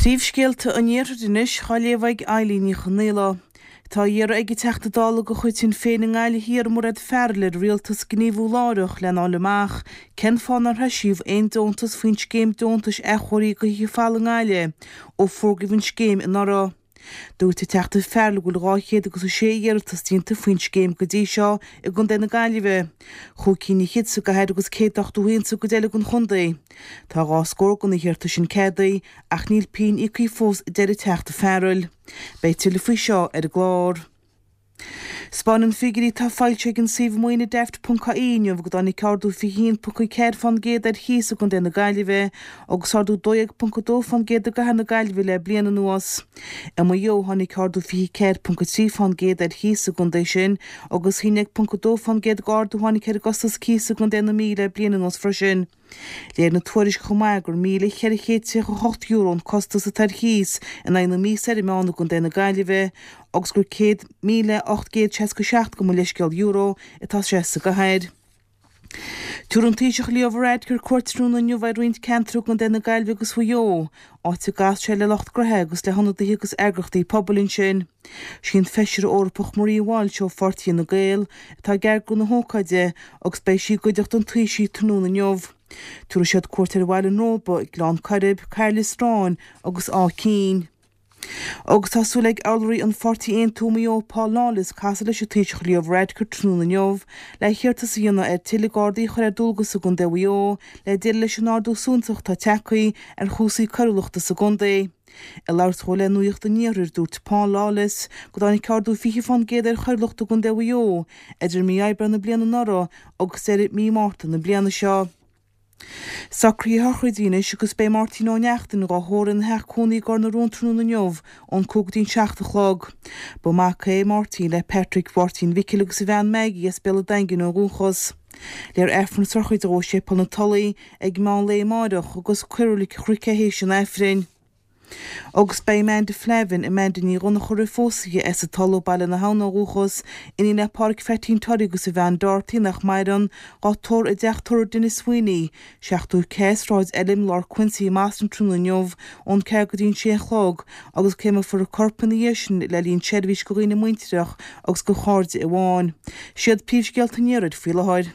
Príomhscéalta an Iarthair anois á léamh ag Eilín Ní Chonaola. Tá á iarraidh ag an Teachta Dála de chuid Shinn Féin i nGaillimh Thiar, Mairéad Farrell, ar an Rialtas gníomhú láithreach lena fháil amach cén fáth nár heisíodh aon deontas faoin scéim deontais athchóirithe do thithe folamh i nGaillimh ó fógraíodh an scéim anuraidh. Dúirt an Teachta Farrell go bhfuil 206 iarratas déanta faoin scéim go dtí seo i gContae na Gaillimhe, chúig cinn fhichead sa gcathair agus 181 sa gcuid eile den chontae. Tá dhá scór de na hiarratais sin ceadaithe ach níl pingin íoctha fós, a deir an Teachta Farrell. Beidh tuilleadh faoi seo ar an gclár. 'Spáineann figiúirí atá foilsithe ag an suíomh maoine Daft ponc ie inniu go dtáinig ardú 21.4% ar chíos i gContae na Gaillimhe agus ardú 12.2% i gCathair na Gaillimhe le bliain anuas. I Maigh Eo tháinig ardú 24.3% ar chíos sa gcontae sin agus 11.2% d'ardú a tháinig ar an gcostas cíosa i gContae na Mí le bliain anuas freisin. Léirigh na tuairisc chomh maith gur €1,438 an costas atá ar chíos in aghaidh na míosa ar an meán i gContae na Gaillimhe agus gur €100,867 gabh mo leithscéal euro atá sé sa gcathair. Tabharfaidh an Taoiseach Leo Varadkar cuairt tráthnóna inniu ar roinnt ceantar i gContae na Gaillimhe agus Mhaigh Eo, áit a gcasfaidh sé le lucht gnoithe agus le hionadaithe agus eagraíochtaí pobail ansin. Sí an Feisire Eorpach Maria Walsh ó pháirtí Fhine Gael atá ag eagrú na hócáide agus beidh sí i gcuideachta an Taoisigh tráthnóna inniu. Tabharfaidh siad cuairt ar Bhaile an Róba, Gleann Coirib, Cairlios Ráin agus Áth Cinn. Agus tá súil ag urlabhraí an pháirtí Aontú i Maigh Eo Paul Lawless casadh leis an Taoiseach Leo Varadkar tráthnóna inniu le hiarratas a dhéanamh air tuilleadh Gardaí a chur ar dualgas i gContae Mhaigh Eo le déileáil leis an ardú suntasach atá tagtha ar chúrsaí coiriúlachta sa gcontae. Ag labhairt dhó le Nuacht an Iarthair, dúirt Paul Lawless go dtáinig ardú 20% ar choiriúlacht i gContae Mhaigh Eo idir mí Aibreáin na bliana anuraidh agus deireadh mí Márta na bliana seo. Socruithe sochraide anois agus beidh Máirtín Ó Neachtain dhá thórramh ina theach cónaí i gCor na Rón tráthnóna inniu ón 5 go dtí an 7 a chlog. Ba mhac é Máirtín le Patrick Mháirtín Mhicil agus a bhean Maggie as Béal an Daingin ó dhúchas. Léifear Aifreann na sochraide dhó i Séipéal na Tulaí ag meán lae amáireach agus cuirfear i Reilig an Chnoic é théis an Aifrinn. Agus beidh Amanda Flavin, Amanda Ní Dhonncha roimh phósadh as an Tulaigh, Baile na hAbhann ó dhúchas, iníon le Pádhraic Pheaitín Toraí agus a bhean Dorothy, nach maireann, dhá tórramh i dteach tórraimh Denis Sweeney, 74 Sráid Elim, Lár Quincy i mBoston tráthnóna inniu ón 4 go dtí an 6 a chlog agus créamfar a corp ina dhiaidh sin le linn seirbhís do dhaoine muintireach agus do chairde amháin. Siad príomhscéalta an iarthair faoi láthair.